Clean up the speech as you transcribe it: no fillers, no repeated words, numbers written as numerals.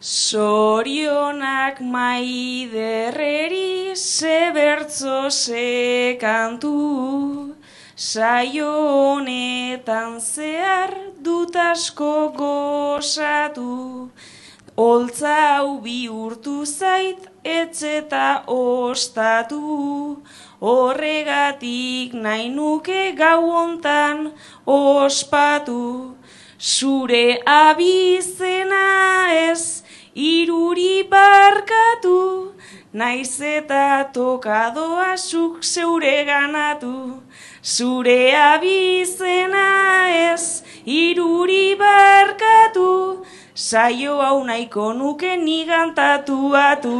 Zorionak Maiderreri ze bertso ze kantu, saio honetan zehar dut asko gozatu. Holtza hau bihurtu zait etxeta ostatu, horregatik nahi nuke gau hontan ospatu. Zure abizena ez iruri barkatu, naiz eta tokadoa zuk zeure ganatu. Zure abizena ez iruri barkatu, saio hau nahiko nuke nigan tatuatu.